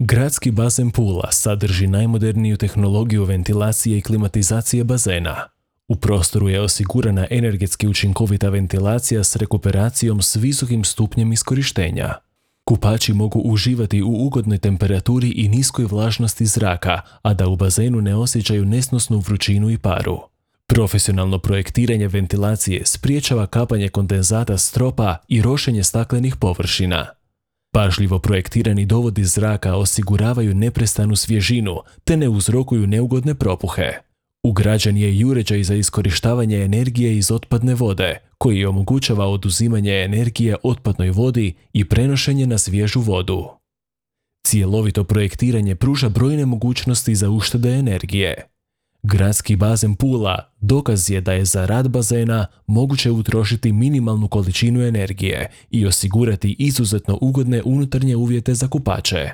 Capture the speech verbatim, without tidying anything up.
Gradski bazen Pula sadrži najmoderniju tehnologiju ventilacije i klimatizacije bazena. U prostoru je osigurana energetski učinkovita ventilacija s rekuperacijom s visokim stupnjem iskorištenja. Kupači mogu uživati u ugodnoj temperaturi i niskoj vlažnosti zraka, a da u bazenu ne osjećaju nesnosnu vrućinu i paru. Profesionalno projektiranje ventilacije spriječava kapanje kondenzata s stropa i rošenje staklenih površina. Pažljivo projektirani dovodi zraka osiguravaju neprestanu svježinu te ne uzrokuju neugodne propuhe. Ugrađen je i uređaj za iskorištavanje energije iz otpadne vode, koji omogućava oduzimanje energije otpadnoj vodi i prenošenje na svježu vodu. Cjelovito projektiranje pruža brojne mogućnosti za uštede energije. Gradski bazen Pula dokaz je da je za rad bazena moguće utrošiti minimalnu količinu energije i osigurati izuzetno ugodne unutarnje uvjete za kupače.